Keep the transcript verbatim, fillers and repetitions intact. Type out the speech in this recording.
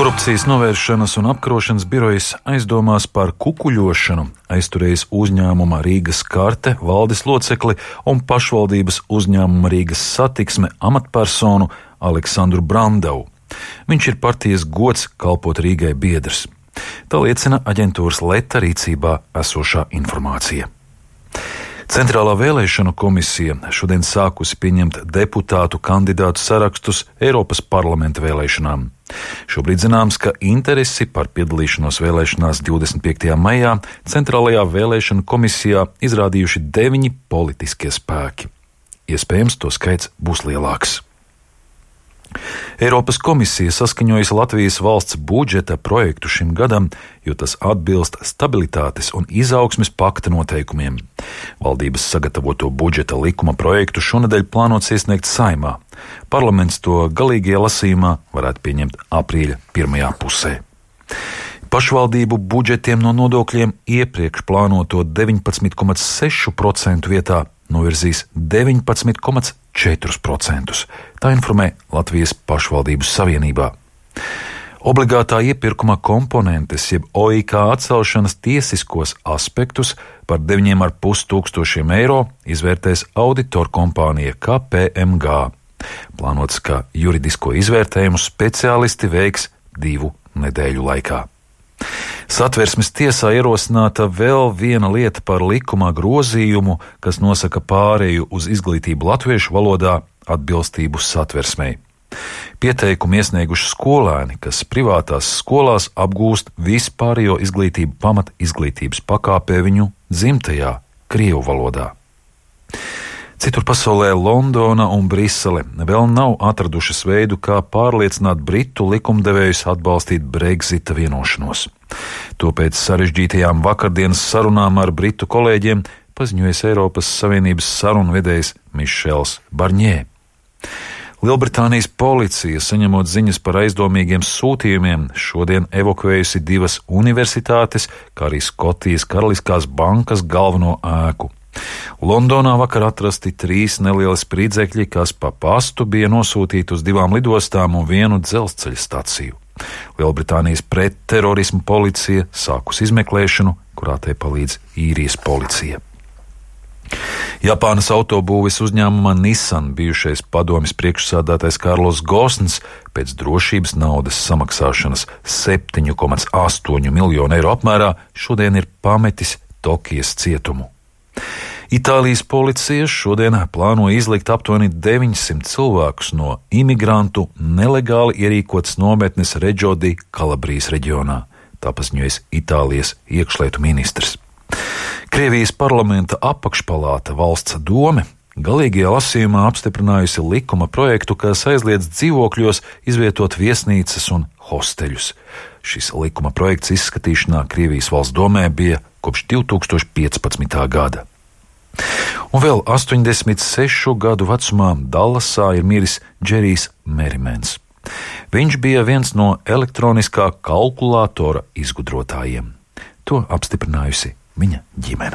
Korupcijas novēršanas un apkarošanas birojas aizdomās par kukuļošanu aizturējis uzņēmuma Rīgas karte valdes locekli un pašvaldības uzņēmuma Rīgas satiksme amatpersonu Aleksandru Brandavu. Viņš ir partijas gods kalpot Rīgai biedrs. Tā liecina aģentūras Leta rīcībā esošā informācija. Centrālā vēlēšanu komisija šodien sākusi pieņemt deputātu kandidātu sarakstus Eiropas parlamenta vēlēšanām. Šobrīd zināms, ka interesi par piedalīšanos vēlēšanās divdesmit piektajā maijā Centrālajā vēlēšanu komisijā izrādījuši deviņi politiskie spēki. Iespējams, to skaits būs lielāks. Eiropas komisija saskaņojas Latvijas valsts budžeta projektu šim gadam, jo tas atbilst stabilitātes un izaugsmes pakta noteikumiem. Valdības sagatavoto budžeta likuma projektu šonedēļ plānots iesniegt Saeimā. Parlaments to galīgajā lasījumā varētu pieņemt aprīļa pirmajā pusē. Pašvaldību budžetiem no nodokļiem iepriekš plānoto deviņpadsmit komats seši procenti vietā novirzīs deviņpadsmit komats četri procenti. Tā informē Latvijas pašvaldību savienībā. Obligātā iepirkuma komponentes, jeb O I K atcelšanas tiesiskos aspektus par deviņiem ar pus tūkstošiem eiro izvērtēs auditoru kompānija K P M G. Plānots, ka juridisko izvērtējumu speciālisti veiks divu nedēļu laikā. Satversmes tiesā ierosināta vēl viena lieta par likumā grozījumu, kas nosaka pāreju uz izglītību latviešu valodā atbilstību satversmei. Pieteikumu iesnieguši skolēni, kas privātās skolās apgūst vispārējo izglītību pamat izglītības pakāpē viņu dzimtajā krievu valodā. Citur pasaulē Londona un Brisele vēl nav atradušas veidu, kā pārliecināt britu likumdevējus atbalstīt Brexita vienošanos. To pēc sarežģītajām vakardienas sarunām ar britu kolēģiem paziņojas Eiropas Savienības sarunvedējs Mišels Barņē. Lielbritānijas policija, saņemot ziņas par aizdomīgiem sūtījumiem, šodien evakuējusi divas universitātes, kā arī Skotijas Karaliskās bankas galveno ēku. Londonā vakar atrasti trīs nelieli spridzekļi, kas pa pastu bija nosūtīti uz divām lidostām un vienu dzelzceļa staciju. Lielbritānijas pretterorismu policija sākus izmeklēšanu, kurā tai palīdz īrijas policija. Japānas autobūves uzņēmuma Nissan bijušais padomjas priekšsādātais Karlos Gosns pēc drošības naudas samaksāšanas septiņu komats astoņu miljonu eiro apmērā šodien ir pametis Tokijas cietumu. Itālijas policija šodien plāno izlikt aptuveni deviņsimt cilvēkus no imigrantu nelegāli ierīkotas nometnes Reggio di Kalabrijas reģionā, tā paziņojas Itālijas iekšlietu ministrs. Krievijas parlamenta apakšpalāta valsts dome galīgajā lasījumā apstiprinājusi likuma projektu, kas aizliedz dzīvokļos izvietot viesnīcas un hosteļus. Šis likuma projekts izskatīšanā Krievijas valsts domē bija kopš divi tūkstoši piecpadsmitā gada. Un vēl astoņdesmit sešu gadu vecumā Dallasā ir miris Džerijs Merimens. Viņš bija viens no elektroniskā kalkulātora izgudrotājiem. To apstiprinājusi viņa ģimene.